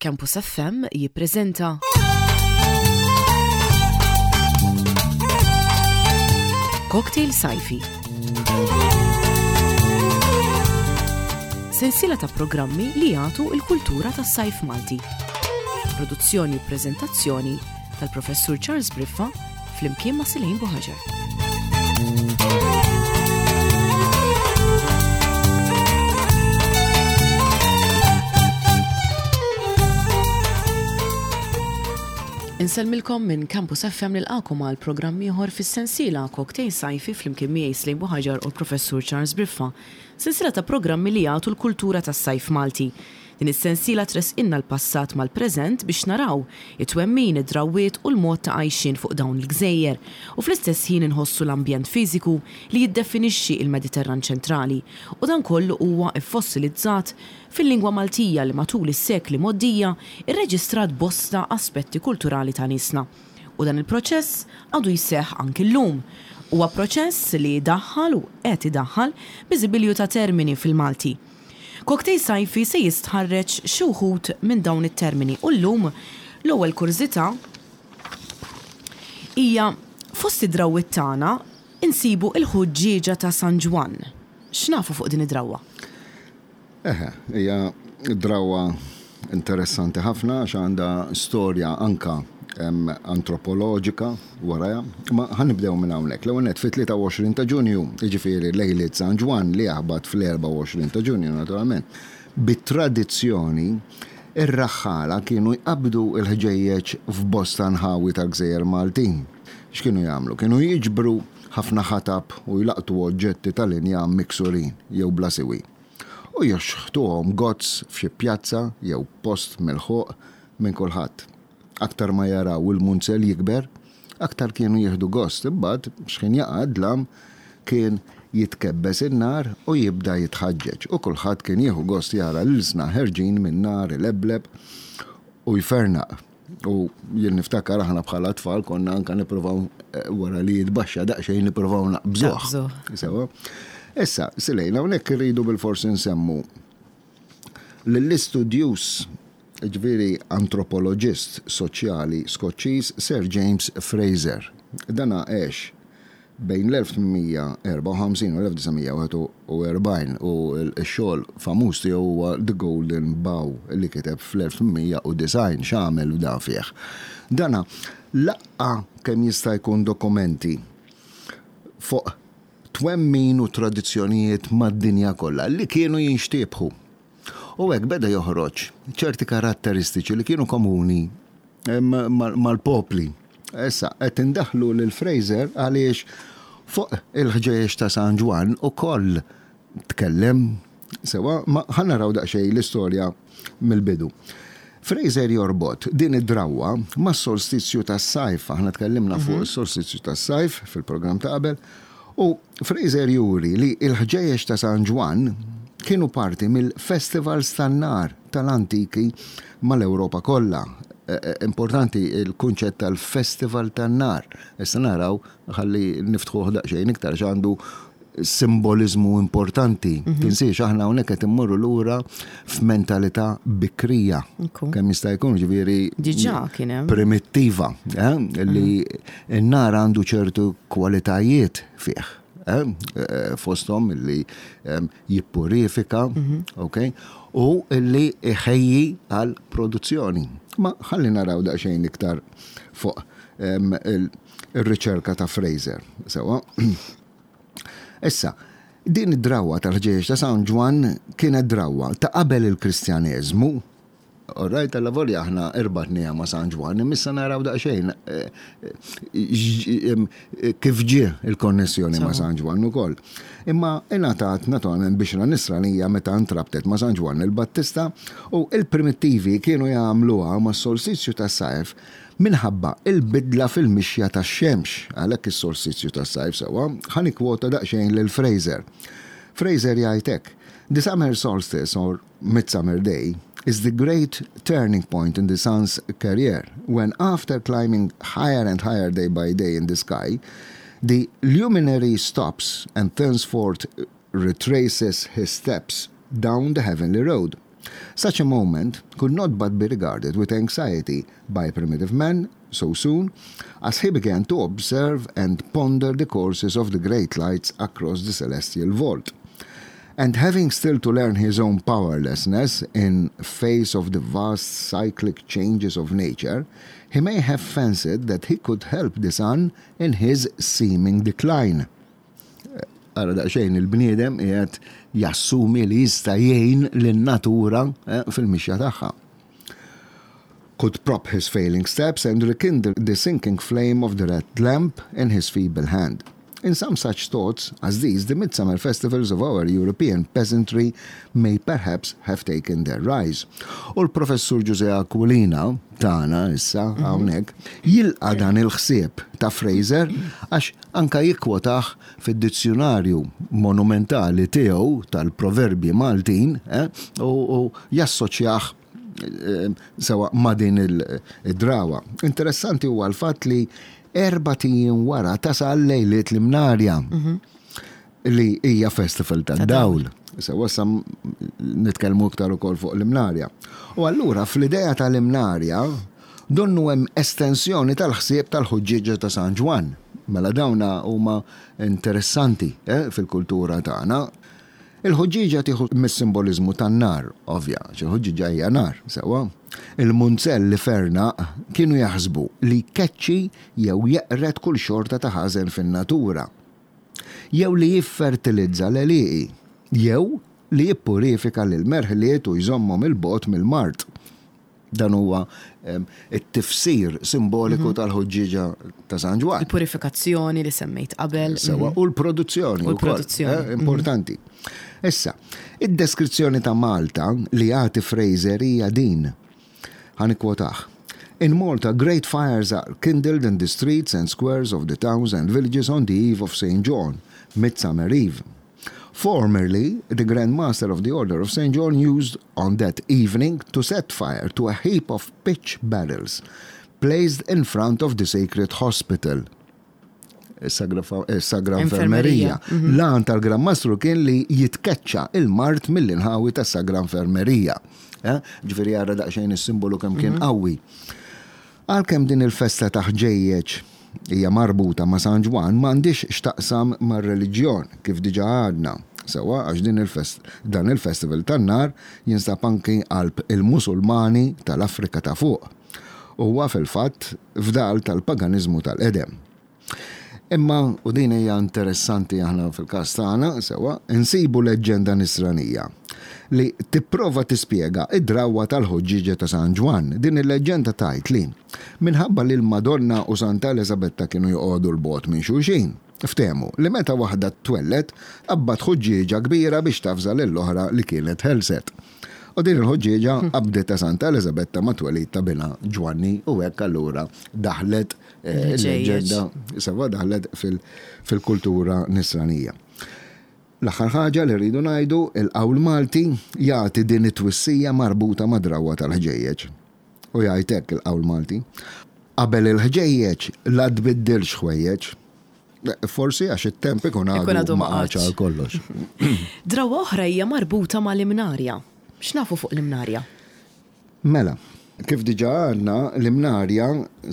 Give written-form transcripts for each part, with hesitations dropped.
Campus FM jippreżenta Cocktail Sajfi. Sensiela ta' programmi li jagħtu l-kultura tas-sajf Malti. Produzzjoni u preżentazzjoni tal-Professur Charles Briffa flimkien ma' Silejn Buħaġar. Insellmilkom minn Campus FM nilqakom għal programm ieħor fis-sensiela Cocktail Sajfi flimkien miegħi Slejn Buħaġar u l-Professur Charles Briffa. Sensiela ta' programmi li jagħtu l-kultura tas-sajf Malti. Din is-sensiela tressqilna l-passat mal-preżent biex naraw it-twemmin, id-drawwiet u l-mod ta' għajxien fuq dawn il-gżejjer u fl-istess ħin inħossu l-ambjent fiżiku li jiddefinixxi il-Mediterran ċentrali u dan kollu huwa ffossilizzat fil-lingwa Maltija li matul is-sekli mgħoddija rreġistrat bosta aspetti kulturali ta' niesna. U dan il-proċess għadu jseħħ anki llum. Huwa proċess li daħħal u qed idaħħal biżibilju ta' termini fil-Malti. Cocktail Sajfi se jistħarreġ xi wħud minn dawn it-termini u llum l-ewwel kurżità hija fost id-drawwiet tagħna nsibu l-ħuġġieġa ta' San Ġwann. X'nafu fuq din id-drawwa? Eħe, hija drawwa interessanti ħafna għax għandha storja anka antropoloġika warajha. Imma ħa nibdew minn hawnhekk. L-ewwel nett fit-23 ta' Ġunju, jiġifieri lejliet San Ġwann li jaħbat fl-24 ta' Ġunju naturalment, bi tradizzjoni ir-raħħala kienu jqabbdu l-ħġejjeġ f'bosta nħawi tal-gżejjer Maltin. X'kienu jagħmlu? Kienu jiġbru ħafna ħatab u jlaqqtu oġġetti tal-injam miksurin jew bla siwi. U jixħtuhom gozz f'xi pjazza jew post milħuq minn kulħadd. Aktar ma jaraw il-munzell jikber, aktar kienu jieħdu gost. Imbagħad, x'ħin jaqa' d-dlam, kien jitkebbes in-nar u jibda jitħaġġeġ u kulħadd kien jieħu gost jara l-ilsna ħerġin min-nar ilebleb u jfernaq. U jien niftakar aħna bħala tfal konna anka nippruvaw eh, wara li jitbaxxa daqsxejn nippruvaw naqbżuh. Sewa. Issa, silejna hawnhekk irridu bil-forsi nsemmu lill-istudjuż ġifieri antropoloġist soċjali Skoċċiż Sir James Frazer. Dana għex bejn l-1854 u l-1941 u x-xogħol famuż tiegħu huwa The Golden Bough li kiteb fl-1890. X'għamel dan fih? Dana laqqa' kemm jista' jkun dokumenti fuq twemmin u tradizzjonijiet mad-dinja kollha li kienu jinxtiebħu. U hekk beda joħroġ ċerti karatteristiċi li kienu komuni mal-popli. Issa, qed indaħħlu lil Fraser għaliex fuq il-ħġejjex ta' San Ġwann ukoll tkellem sewwa, ma ħa naraw daqsxejn l-istorja mill-bidu. Fraser jorbot din id-drawwa mas-solstizju tas-sajf, aħna tkellimna fuq is-solstizju tas-sajf fil-programm ta' qabel, U Fraser juri li l-ħġejjex ta' San Ġwann kienu parti mill-festivals tan-nar tal-antiki mal-Ewropa kollha. Importanti l-kunċett tal-festival tan-nar. Issa naraw, ħalli niftħuh daqsxejn iktar għax għandu simboliżmu importanti. Tinsiex aħna hawnhekk qed immorru lura f'mentalità bikrija. Kemm jista' jkun ġifieri Diġà kien hemm. Primittiva, eh, li n-nar għandu ċertu kwalitajiet fih. Eh, eh, fosthom li jippurifika, ok, u li iħejji għal produzzjoni. Ma ħalli naraw daqsxejn iktar fuq il-riċerka ta' Fraser. Sewa. Issa, din id-drawwa tal-ħġieġ ta' San Ġwann kienet drawwa ta' qabel il-Kristjaneżmu. All right, alla volja aħna irbatniha ma' San Ġwann, imma issa naraw daqsxejn eh, eh, kif ġie il-konnessjoni ma' San Ġwann ukoll. Imma ingħatat naturalment bixra nisranija meta ntrabtet ma' San Ġwann il-Battista u il-primittivi kienu jagħmluha mas-solstizju tas-sajf Minħabba il-bidla fil-mixja tax-xemx, għalhekk is-solstizju tas-sajf sewwa, ħa nikkwota daqsxejn lil Frazer. Frazer jgħid hekk, The summer solstice or midsummer day is the great turning point in the sun's career when after climbing higher and higher day by day in the sky, the luminary stops and thenceforth retraces his steps down the heavenly road. Such a moment could not but be regarded with anxiety by primitive man so soon as he began to observe and ponder the courses of the great lights across the celestial vault. And having still to learn his own powerlessness in face of the vast cyclic changes of nature, he may have fancied that he could help the sun in his seeming decline. Ara daqsxejn il-bniedem qiegħed jassumi li jista' jgħin lin-natura eh, fil-mixja tagħha. Could prop his failing steps and rekindle the sinking flame of the red lamp in his feeble hand. In some such thoughts as these, the midsummer festivals of our European peasantry may perhaps have taken their rise. U l-Professur Ġużè Aquilina, tagħna issa hawnhekk, jilqa' dan il-ħsieb ta' Frazer għax anka jikkwotah fid-dizzjunarju monumentali tiegħu tal-proverbji Maltin eh, u jassoċjah eh, sewa ma' din id-drawa. Interessanti huwa l-fatt li erbat ijiem wara tasal lejliet l-Imnarja li hija festival tad-dawl. Sewa sa nitkellmu iktar ukoll fuq l-Imnarja. U allura fl-idea tal-Imnarja donnu hemm estensjoni tal-ħsieb tal-ħuġġieġa ta' San Ġwann. Mela dawna huma interessanti eh, fil-kultura tagħna. Il-ħuġġieġa tieħu mis-simboliżmu tan-nar, ovvja, għax il-ħuġġieġa hija nar, sewwa. Il-munzell li fernaq kienu jaħsbu li jkeċċi jew jeqred kull xorta ta' ħażen fin-natura, jew li jiffertilizza l-għelieqi, jew li jippurifika lill-merħliet u jżommhom 'il bogħod mill-mard. Dan huwa it-tifsir simboliku tal-ħuġġieġa ta' San Ġwann. Il-purifikazzjoni li semmejt qabel. Sewa, u l-produzzjoni. U l-produzzjoni. Eh, importanti. Issa, id-deskrizzjoni ta' Malta li jagħti Fraser hija din. Ħa nikkwotah. In Malta, great fires are kindled in the streets and squares of the towns and villages on the eve of St. John, Midsummer Eve. Formerly, the Grand Master of the Order of St. John used on that evening to set fire to a heap of pitch barrels placed in front of the sacred hospital. Sagra Infermerija. Mhm. L-għan tal-Gran Mastru kien li jitkeċċa il-mart mill-inħawi tas Sagra Infermerija. Eh, ġifieri għara daqsxejn is-simbolu kemm kien mhm. qawwi. Għalkemm din il-festa ta' ħġejjeġ hija marbuta ma' San Ġwann m'għandhiex x'taqsam mar-reliġjon, kif diġà għadna, sewwa għax din il-fest dan il-festival tan-nar jinsab anki qalb il-Musulmani tal-Afrika ta' Fuq. Huwa fil-fatt fdal tal-paganiżmu tal-qedem. Imma, u din hija interessanti aħna fil-każ tagħna, sewwa, insibu leġġenda Nisranija li tipprova tispjega d-drawwa tal-ħuġġieġa ta' San Ġwann. Din il-leġġenda tgħid li, minħabba li l-Madonna u Santa Eliżabetta kienu joqogħdu 'l bogħod minn xulxin, ftehmu li meta waħda twelled, qabbat ħuġġieġa kbira biex tavża lill-oħra li kienet ħelset. U din il-ħuġġieġa qabdet ta' Santa Eliżabetta mat-twelid ta' binha Ġwanni u hekk allura daħlet Il-leġġenda sewa daħlet fil-kultura nisranija. L-aħħar ħaġa li rridu ngħidu, il-qawl Malti jagħti din it-twissija marbuta mad-drawwa tal-ħġejjeġ. U jgħid hekk il-qawl Malti, Qabel il-ħġejjeġ la tbiddilx ħwejjeġ. Forsi għax it-temp ikun għadu ma qagħadx għal kollox. Drawwa oħra hija marbuta mal-imnarja. X'nafu fuq l-imnarja? Mela, kif diġà għadna, l-imnarja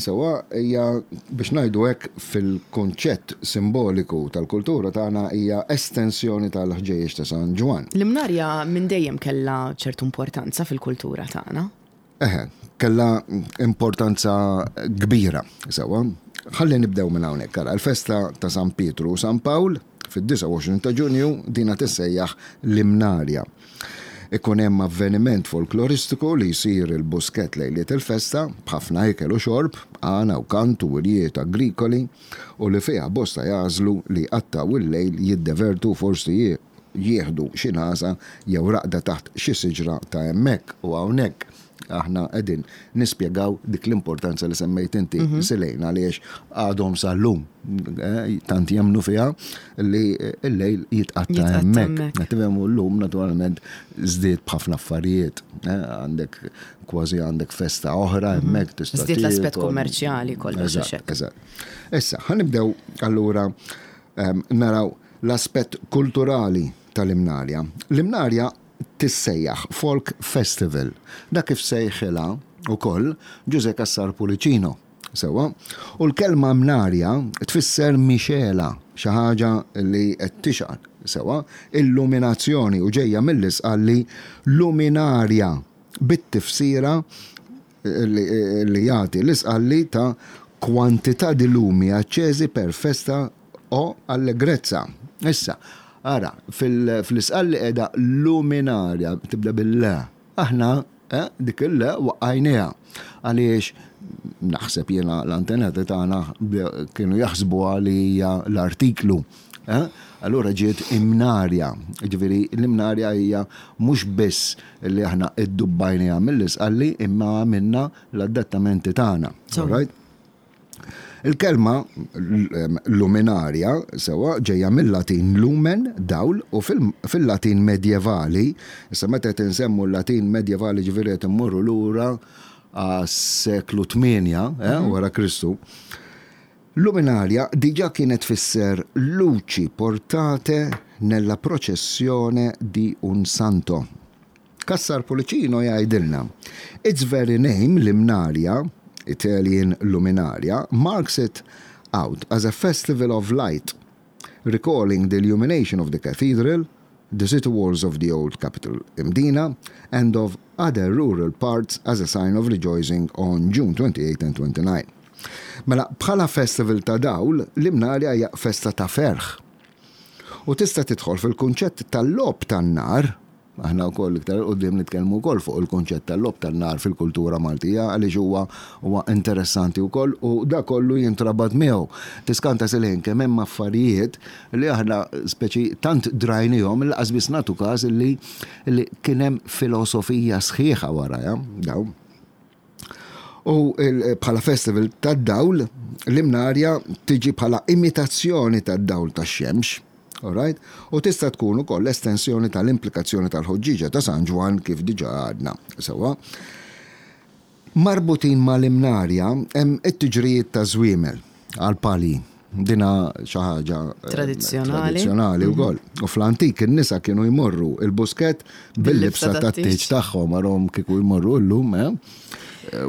sewwa hija biex ngħidu hekk fil-kunċett simboliku tal-kultura tagħna hija estensjoni tal-ħġejjeġ ta' San Ġwann. L-imnarja minn dejjem kellha ċertu importanza fil-kultura tagħna. Eħe, kellha importanza kbira, sewwa. Ħalli nibdew minn hawnhekk, ara, l-festa ta' San Pietru u San Pawl fid-29 ta' Ġunju dina tissejjaħ l-Imnarja. Ikun hemm avveniment folkloristiku li jsir il-Buskett lejliet il-festa, b'ħafna ikel u xorb, għana u kant u wirjiet agrikoli u li fiha bosta jagħżlu li jqattgħu il-lejl jiddevertu u forsi jieħdu xi nagħsa jew raqda taħt xi siġra ta' hemmhekk u hawnhekk. Aħna qegħdin nispjegaw dik l-importanza li semmejt inti mhm. Silejn għaliex għadhom sal-lum eh, tant jemnu fiha li l-lejl jitqatta hemmhekk. Tifhem llum naturalment żdied b'ħafna affarijiet. Eh, għandek kważi għandek festa oħra mhm. hemmhekk tista' Żdied l-aspett kummerċjali kollox. Eżatt. Issa, ħanibdew allura ehm, naraw l-aspett kulturali tal-imnarja. L-imnarja. tissejjaħ Folk Festival. Dak kif sejħilha wkoll Ġużè Cassar Pullicino. Sewwa? U l-kelma mnarja tfisser mixegħla, xi ħaġa li qed tixgħal. Sewwa? Illuminazzjoni u ġejja mill-Isqalli luminaria bit-tifsira li jagħti l-Isqalli ta' quantità di lumi accesi per festa o allegrezza. Issa, ara, fl-Isqalli qiegħda luminaria, tibda bil-L. Aħna dik il-L waqqajniha. Għaliex naħseb jiena l-antenati tagħna kienu jaħsbuha li hija l-artiklu. Allura ġiet imnarja. Ġifieri l-imnarja hija mhux biss li aħna iddubbajniha mill-Isqalli imma għamilna l-adattamenti tagħna. All right? Il-kelma luminaria, sewwa, ġejja mil-Latin lumen, dawl, u fil-Latin medjevali, issa meta qed insemmu l-Latin medjevali ġifieri qed immorru lura għas-seklu 8 eh, wara Kristu, luminaria diġà kienet tfisser luci portate nella processione di un santo. Cassar Pullicino jgħidilna, Its very name, Limnaria, Italian Luminaria, marks it out as a festival of light, recalling the illumination of the cathedral, the city walls of the old capital Mdina, and of other rural parts as a sign of rejoicing on June 28 and 29. Mela, bħala festival ta' dawl, l-Imnarja hija festa ta' ferħ. U tista' tidħol fil-kunċett tal-logħob tan-nar, Aħna wkoll iktar 'il quddiem nitkellmu wkoll fuq il-kunċett tal-logħob tan-nar fil-kultura Maltija għaliex huwa huwa interessanti wkoll u dak kollu jintrabat miegħu. Tiskanta silħin kemm hemm affarijiet li aħna speċi tant drajnihom li qas biss nagħtu każ li li kien hemm filosofija sħiħa warajha dawn. U bħala festival tad-dawl, l-Imnarja tiġi bħala imitazzjoni tad-dawl tax-xemx. Alright? U tista' tkun ukoll estensjoni tal-implikazzjoni tal-ħuġġieġa ta' San Ġwann kif diġà għadna. Sewwa. Marbutin mal-Imnarja hemm it-tiġrijiet taż-żwiemel għall-palji. Dina xi ħaġa eh, tradizzjonali. Tradizzjonali wkoll. U fl-antik in-nisa kienu jmorru il-buskett bil-libsa tat-tieġ tagħhom arhom kieku jmorru llum, eh?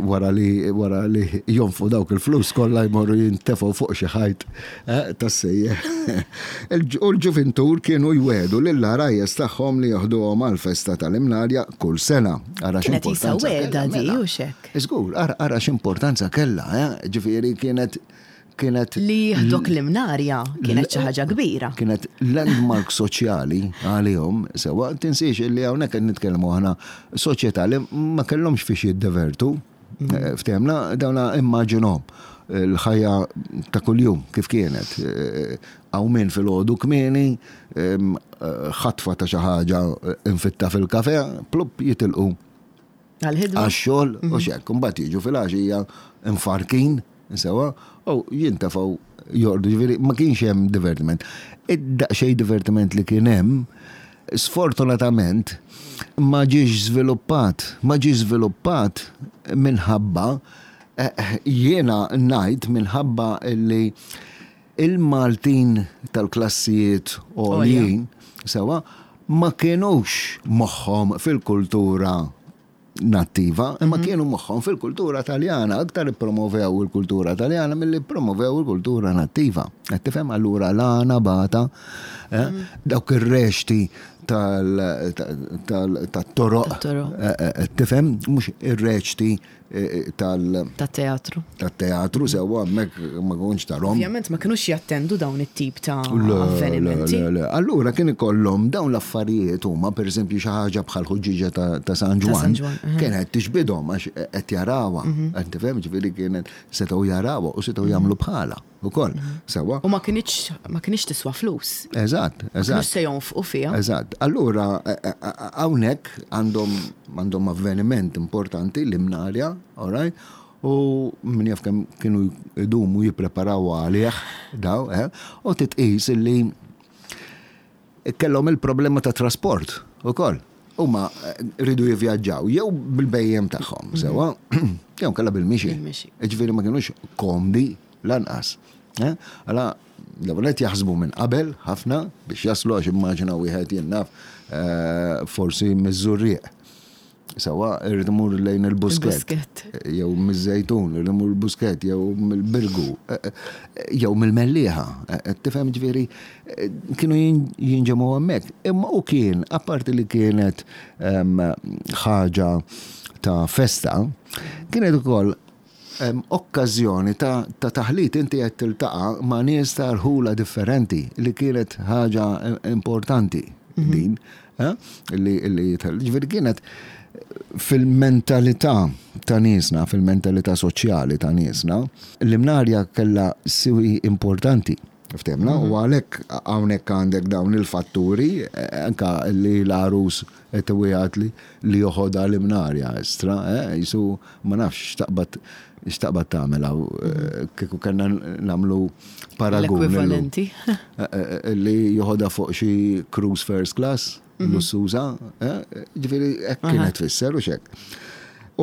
Wara li wara li jonfu dawk il-flus kollha jmorru jintefgħu fuq xi ħajt eh, tas-sejjeħ. U l-ġuvintur kienu jwedu lill-għarajjes tagħhom li joħduhom għall-festa tal-Imnarja kull sena. Ara Kienet isa wegħda di u xek. Żgur, ara x'importanza kellha, eh? Ġifieri kienet kienet. Li jieħdok l-Imnarja kienet xi ħaġa kbira. Kienet landmark soċjali għalihom, sewwa, tinsiex illi hawnhekk qed nitkellmu aħna soċjetà li ma kellhomx fiex jiddevertu. Mm. Eh, ftehmna dawna immaġinhom l-ħajja ta' kuljum kif kienet. Eh, qawmien filgħodu kmieni, eh, ħatfa ta' xi ħaġa infitta fil-kafe, plupp jitilqu Għal-ħidma. Għax-xogħol u mhm. xekk. Mbagħad jiġu fil-għaxija mfarkin, sewa, u jintefgħu jordu, ġifieri ma kienx hemm divertiment. Id-daqsxejn divertiment li kien hemm, sfortunatament ma ġiex żviluppat, ma ġiex żviluppat minħabba eh, jiena ngħid minħabba li Il-Maltin tal-klassijiet għoljin, sewwa, ma kinux moħħhom fil-kultura nattiva, imma mhm. kienu moħħhom fil-kultura Taljana, aktar ippromovew il-kultura Taljana milli ppromovew il-kultura nattiva. Qed tifhem allura l-għana bata, eh, mhm. dawk ir-rexti tal-toroq. Eh, eh, tifhem, mhux ir-reċti tal. Tat-teatru. Tat-teatru sewwa hemmhekk ma kontx tarhom. Ovvjament ma kinux jattendu dawn it-tip ta' avvenimenti. Le, le, Allura kien ikollhom dawn l-affarijiet huma pereżempju xi ħaġa bħal ħuġġieġa ta' San Ġwann. Kienet tixbidhom għax qed jarawha. Mhm. Qed tifhem ġifieri kienet setgħu jarawha u setgħu jagħmlu bħalha. Ukoll, sewwa. U ma kinitx ma kinitx tiswa flus. Eżatt, eżatt. Mhux se jonfqu fiha. Eżatt. Allura e, e, e, hawnhekk għandhom għandhom avveniment importanti l-imnarja, all right? U min jaf kemm kienu jdumu jippreparaw għalih daw, eh? U titqis illi Kellhom il-problema ta' trasport ukoll. Huma eh, ridu jivvjaġġaw jew bil-bejjem tagħhom, mhm. sewwa, jew kellha bil-mixi. Ġifieri ma kinux komdi lanqas. Eh? Għala L-ewwel nett jaħsbu minn qabel ħafna biex jaslu għax immaġina wieħed jien naf forsi miż-Żurrieq. Sewwa irrid imur lejn il-Buskett. Jew miż-Żejtun, irrid imur il-Buskett, jew mill-Birgu, jew mill-Mellieħa. Tifhem ġifieri kienu jinġemgħu hemmhekk. Imma u kien, apparti li kienet ħaġa ta' festa, kienet ukoll okkażjoni ta' taħlit inti qed tiltaqa' ma' nies ta' rħula differenti li kienet ħaġa importanti mhm. din eh, li li ġifieri kienet fil-mentalità ta' niesna, fil-mentalità soċjali ta' niesna, l-imnarja kellha siwi importanti. Ftemna, u għalhekk hawnhekk għandek dawn il-fatturi, anka li l-għarus qed iwiegħed li li joħodha l-imnarja estra, eh, jisu ma nafx x'taqbad x'taqbad tagħmel hawn eh, kieku kellna nagħmlu paragun. L-ekwivalenti. Li joħodha fuq xi cruise first class, lussuża, eh, ġifieri hekk kienet tfisser u x'hekk.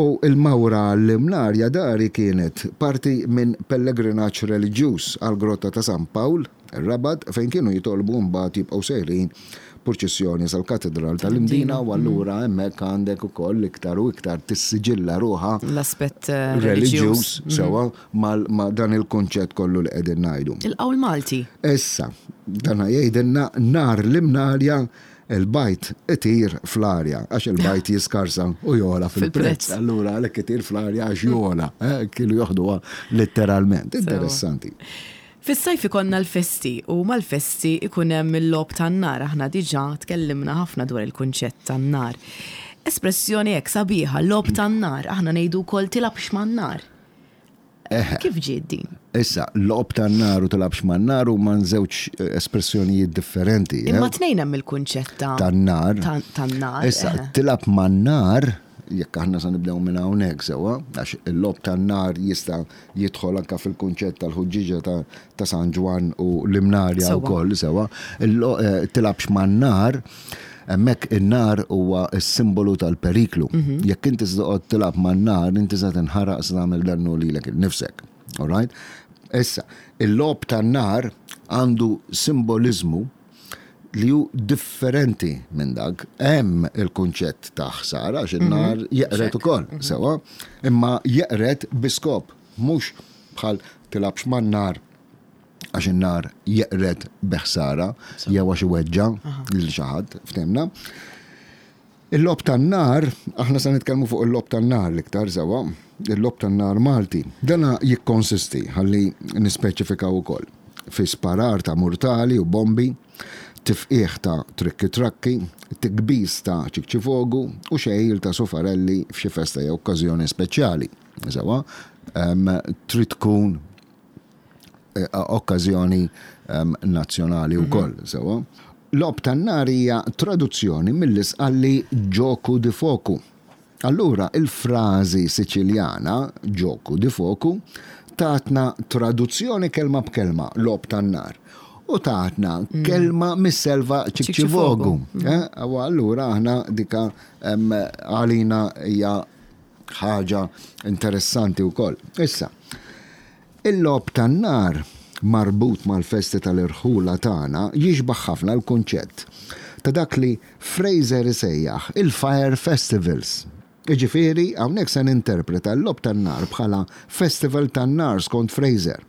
U l-mawra għall-Imnarja dari kienet parti minn pellegrinaġġ reliġjuż għall-Grotta ta' San Pawl, ir-Rabat, fejn kienu jitolbu mbagħad jibqgħu sejrin purċissjoni sal-Katidral tal-Imdina u allura hemmhekk għandek ukoll iktar u iktar tissiġilla ruħha l-aspett reliġjuż sewwa ma' dan il-kunċett kollu li qegħdin ngħidu. Il-qawl Malti. Issa, dan jgħidilna nhar l-Imnarja Il-bajd itir fl-arja għax il-bajd jiskarsa u jogħla fil-prezz. Allura għalhekk itir fl-arja għax jogħla. Eh, kienu joħduha letteralment. Interessanti. Fis-sajf ikollna l-festi u mal-festi ikun hemm il-logħob tan-nar. Aħna diġà tkellimna ħafna dwar il-kunċett tan-nar. Espressjoni hekk sabiħa, logħob tan-nar, aħna ngħidu wkoll tilgħabx man-nar. Kif ġiet din? Issa, logħob tan-nar u tilgħabx man-nar huma żewġ espressjonijiet differenti. Imma tnejn hemm il-kunċett ta' Tan-nar. Tan-nar. Issa, tilgħab man-nar, jekk aħna sa nibdew minn hawnhekk sewwa, għax il-logħob tan-nar jista' jidħol anke fil-kunċett tal-ħuġġieġa ta' San Ġwann u l-Imnarja wkoll sewwa. Tilgħabx man-nar, Hemmhekk in-nar huwa s-simbolu tal-periklu. Mhm. Jekk inti se toqgħod tilgħab man-nar, inti se tinħaraq se tagħmel dannu lilek innifsek. All right? Issa, il-logħob tan-nar għandu simboliżmu li hu differenti minn dak. Hemm il-kunċett ta' ħsara għax in-nar mhm. jeqred ukoll, mhm. sewwa, imma jeqred bi skop, mhux bħal tilgħabx man-nar għax in-nar jeqred bi ħsara jew għax iweġġa' lil xi ħadd, ftehimna. Il-logħob tan-nar, aħna se nitkellmu fuq il-logħob tan-nar l-iktar sewwa, il-logħob tan-nar Malti. Dana jikkonsisti, ħalli nispeċifikaw ukoll, fi sparar ta' murtali u bombi, tifqigħ ta' trikki trakki, tikbis ta' ċikċifogu u xegħil ta' sufarelli f'xi festa jew okkażjoni speċjali. Sewwa, trid tkun Eh, okkażjoni ehm, nazzjonali mhm. wkoll, sewwa. Logħob tan-nar hija traduzzjoni mill-Isqalli gioco di focu. Allura il-frażi Siċiljana gioco di focu tatna traduzzjoni kelma b'kelma logħob tan-nar u tatna mm. kelma mis-selva ċikċivogu. Mm. Eh, u allura aħna dika ehm, għalina hija ħaġa interessanti wkoll. Issa, Il-logħob tan-nar marbut mal-festi tal-irħula tagħna jixbah ħafna l-kunċett ta' dak li Frazer isejjaħ il-fire festivals. Jiġifieri, hawnhekk se ninterpreta l-logħob tan-nar bħala festival tan-nar skont Frazer.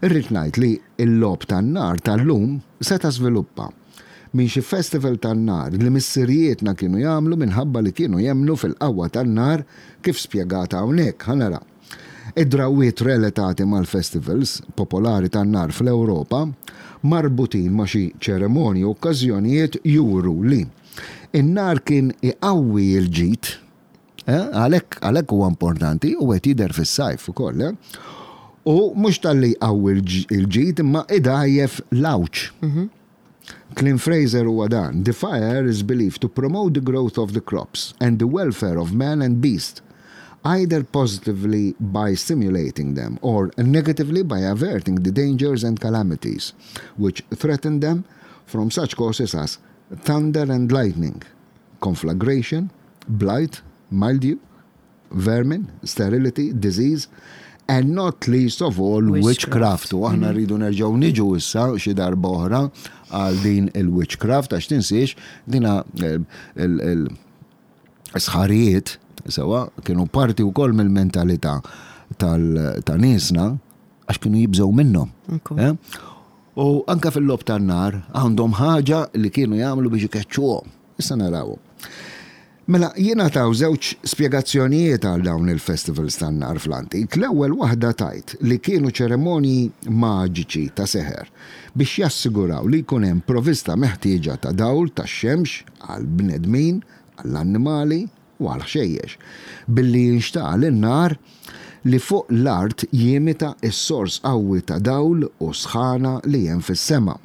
Irrid ngħid li l-logħob tan-nar tal-lum seta' żviluppa minn xi festival tan-nar li missirijietna kienu jagħmlu minħabba li kienu jemmnu fil-qawwa tan-nar kif spjegat hawnhekk. Ħa nara. Id-drawwiet reletati mal-festivals popolari tan-nar fl-Ewropa, marbutin ma' xi ċeremonji u okkażjonijiet juru li n-nar kien iqawwi l-ġid, għalhekk għalhekk huwa importanti u qed jidher fis-sajf ukoll, u mhux talli jqawwi l-ġid imma idgħajjef l-għawġ. Clint Fraser huwa dan, The fire is believed to promote the growth of the crops and the welfare of man and beast, either positively by stimulating them or negatively by averting the dangers and calamities which threaten them from such causes as thunder and lightning, conflagration, blight, mildew, vermin, sterility, disease, And not least of all witchcraft. U aħna rridu nerġgħu niġu issa xi darba oħra għal din il-witchcraft għax tinsiex dina il-sħarijiet sewa kienu parti wkoll mill-mentalità ta' niesna għax kienu jibżgħu minnhom. Eh? U anka fil-logħob tan-nar għandhom ħaġa li kienu jagħmlu biex ikeċċuhom. Issa narawhom. Mela, jingħataw żewġ spjegazzjonijiet għal dawn il-festivals tan-nar fl-antik. L-ewwel waħda tgħid li kienu ċeremonji maġiċi ta' seħer biex jassiguraw li jkun hemm provista meħtieġa ta' dawl tax-xemx għall-bnedmin, għall-annimali u għall-ħxejjex, billi jinxtagħal in-nar li fuq l-art jimita s-sors qawwi ta' dawl u sħana li hemm fis-sema.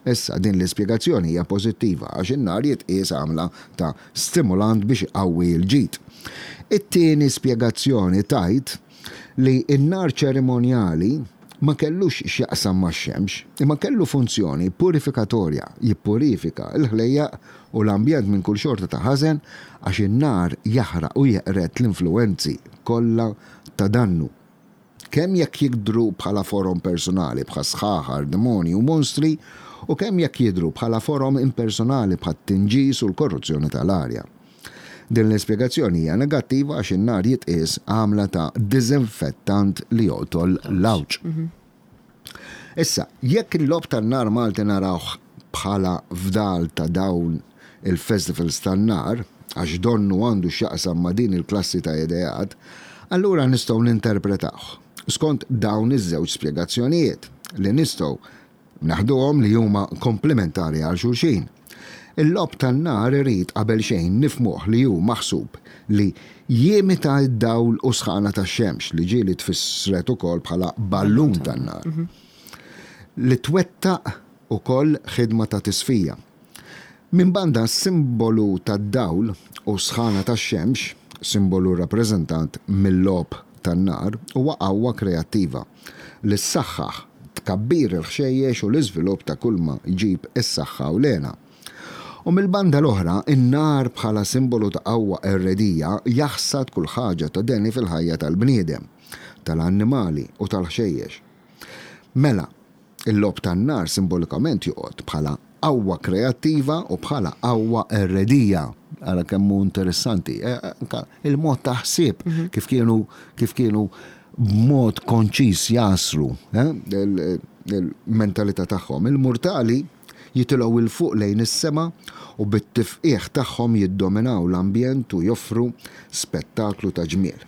Issa, din l-ispjegazzjoni hija pożittiva għax in-nar jitqies għamla ta' stimulant biex iqawwi l-ġid. It-tieni spjegazzjoni tgħid li n-nar ċerimonjali ma kellux x'jaqsam max-xemx, imma kellu funzjoni purifikatorja, jippurifika l-ħlejjaq u l-ambjent minn kull xorta ta' ħażen għax in-nar jaħraq u jeqred l-influwenzi kollha ta' dannu. Kemm jekk jidhru bħala forom personali bħas-sħaħar, demonji u monstri, u kemm jekk jidhru bħala forom impersonali bħat-tinġis u l-korruzzjoni tal-arja. Din l-ispjegazzjoni hija negattiva għax in-nar jitqies għamla ta' diżinfettant li joqtol l-għawġ. Issa, jekk il-logħob tan-nar Malti narawh bħala fdal ta' dawn il-festivals tan-nar, għax donnu għandu x'jaqsam ma' din il-klassi ta' ideat, allura nistgħu ninterpretawh skont dawn iż-żewġ spjegazzjonijiet, li nistgħu neħduhom li huma komplementari għal xulxin. Il-logħob tan-nar irid qabelxejn nifhmuh li hu maħsub li jimita d-dawl u s-sħana tax-xemx, li ġieli tfissret ukoll bħala ballun tan-nar, li twettaq ukoll ħidma ta' tisfija. Minn banda s-simbolu tad-dawl u s-sħana tax-xemx, simbolu rrappreżentat mil-logħob tan-nar, huwa qawwa kreattiva li ssaħħaħ tkabbir il-ħxejjex u l-iżvilupp ta' kulma jġib is-saħħa u l-hena. U mill-banda l-oħra, in-nar bħala simbolu ta' qawwa qerredija jaħsad kull ħaġa ta' deni fil-ħajja tal-bniedem, tal-annimali u tal-ħxejjex. Mela, il-logħob tan-nar simbolikament joqgħod bħala qawwa kreattiva u bħala qawwa qerredija. Ara kemm hu interessanti. Anka il-mod ta' ħsieb kif kienu kif kienu b'mod konċiż jagħsru il-mentalità tagħhom. Il-murtali jitilgħu 'l fuq lejn is-sema u bit-tifqigħ tagħhom jiddominaw l-ambjent u joffru spettaklu ta' ġmiel.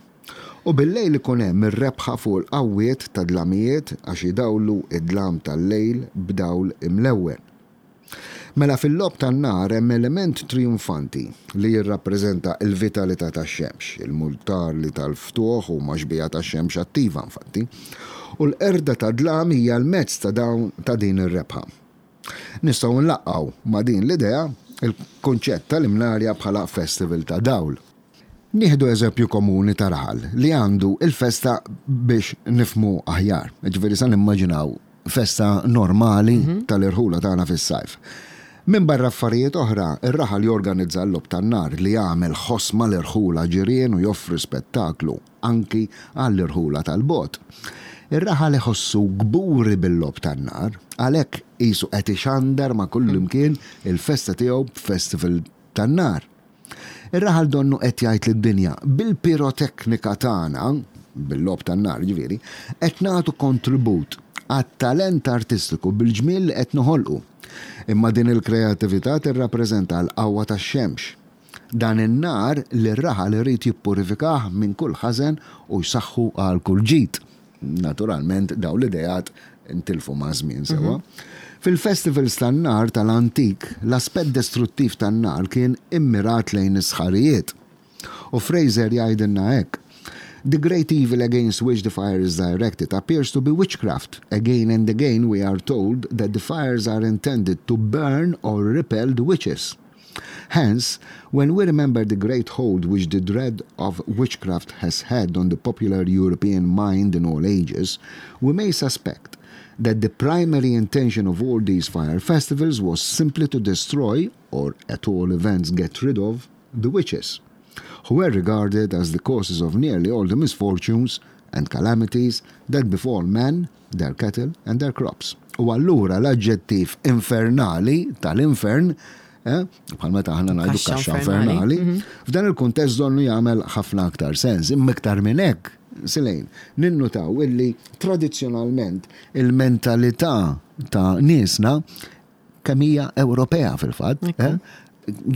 U bil-lejl ikun hemm ir-rebħa fuq il-qawwiet tad-dlamijiet għax idawlu d-dlam tal-lejl b'dawl imlewwen. Mela fil-logħob tan-nar hemm element trijunfanti li jirrappreżenta l-vitalità tax-xemx, il-murtali tal-ftuħ huma xbieha tax-xemx attiva infatti, u l-qerda tad-dlam hija l-mezz ta' dawn ta' din ir-rebħa. Nistgħu nlaqqgħu ma' din l-idea l-kunċett tal-Imnarja bħala festival ta' dawl. Nieħdu eżempju komuni ta' raħal li għandu il-festa biex nifhmu aħjar. Jiġifieri sa nimmaġinaw festa normali tal-irħula tagħna fis-sajf. Minbarra affarijiet oħra, ir-raħal jorganizza l-logħob tan-nar li jagħmel ħoss mal-irħula ġirien u joffri spettaklu anki għall-irħula tal-bogħod. Ir-raħal iħossu kburi bil-logħob tan-nar, għalhekk qisu qed ixandar ma' kullimkien il-festa tiegħu b'festival tan-nar. Ir-raħal donnu qed jgħid lid-dinja, bil-piroteknika tagħna, bil-logħob tan-nar jiġifieri, qed nagħtu kontribut għat-talent artistiku bil-ġmiel li qed noħolqu. Imma din il-kreattività tirrappreżenta l-qawwa tax-xemx. Dan in-nar li r-raħal irid jippurifikah minn kull ħażen u jsaħħu għal kull ġid. Naturalment dawn l-ideat intilfu maż-żmien sewwa. Fil-festivals tan-nar tal-antik, l-aspett destruttiv tan-nar kien immirat lejn is-sħarijiet. U Frazer jgħidilna hekk, The great evil against which the fire is directed appears to be witchcraft. Again and again we are told that the fires are intended to burn or repel the witches. Hence, when we remember the great hold which the dread of witchcraft has had on the popular European mind in all ages, we may suspect that the primary intention of all these fire festivals was simply to destroy, or at all events get rid of, the witches, who were regarded as the causes of nearly all the misfortunes and calamities that befall men, their cattle and their crops. U allura l-aġġettiv infernali tal-infern, eh, bħal meta aħna ngħidu kaxxa infernali, mhm. f'dan il-kuntest donnu jagħmel ħafna aktar sens, imma iktar minn hekk, Silejn, ninnutaw illi tradizzjonalment il-mentalità ta' niesna kemm hija Ewropea fil-fatt, eh,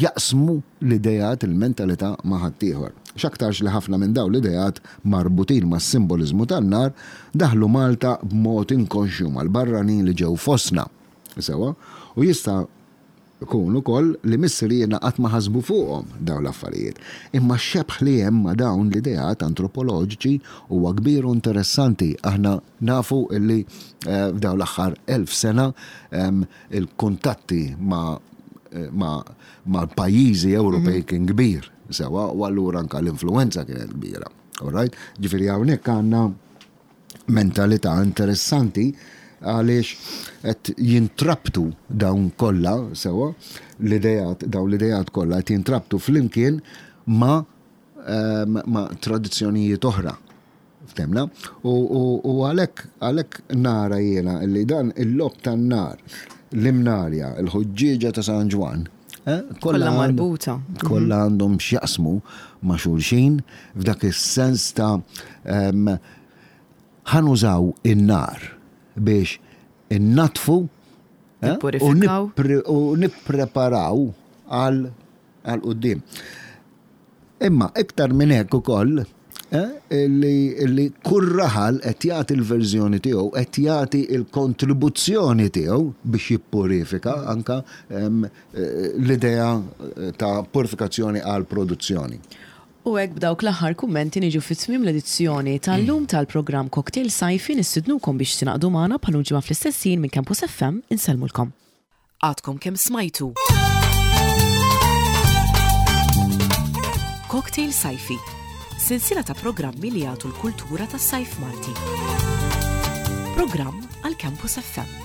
jaqsmu l-ideat, il-mentalità ma' ħaddieħor. X'aktarx li ħafna minn dawn l-ideat marbutin mas-simboliżmu tan-nar daħlu Malta b'mod inkonxju mal-barranin li ġew fostna. Sewwa? U jista' jkun ukoll li missirijietna qatt ma ħasbu fuqhom dawn l-affarijiet. Imma x-xebh li hemm ma' dawn l-ideat antropoloġiċi huwa kbir u interessanti. Aħna Nafu li f'dawn l-aħħar 1000 sena il-kuntatti ma' ma' pajjiżi Ewropej kien kbir sewwa u allura anke l-influwenza kienet kbira. All right? Ġifieri hawnhekk għandna mentalità interessanti għaliex qed jintrabtu dawn kollha sewwa l-ideat dawn l-ideat kollha qed jintrabtu flimkien ma' ma' tradizzjonijiet oħra. Ftemna? U għalhekk għalhekk nara jiena li dan il-logħob tan-nar, l-imnarja, il-ħuġġieġa ta' San Ġwann, eh, kollha marbuta. Kollha għandhom x'jaqsmu ma' xulxin f'dak is-sens ta' ħa nużaw in-nar biex innaddfu eh, u nippreparaw għal quddiem. Imma iktar minn hekk ukoll, li kull raħal qed jagħti l-verżjoni tiegħu, qed jagħti l-kontribuzzjoni tiegħu biex jippurifika anke l-idea ta' purifikazzjoni għall-produzzjoni. U hekk b'dawk l-aħħar kummenti niġu fi tmiem l-edizzjoni tal-lum tal-programm Cocktail Sajfi nistidnukom biex tingħaqdu magħna bħal-lum ġimgħa fl-istess ħin minn Campus FM insellmulkom. Għadkom kemm smajtu. Cocktail Sajfi, sensiela ta' programmi li jagħtu l-kultura tas-sajf Malti. Programm għal Campus FM.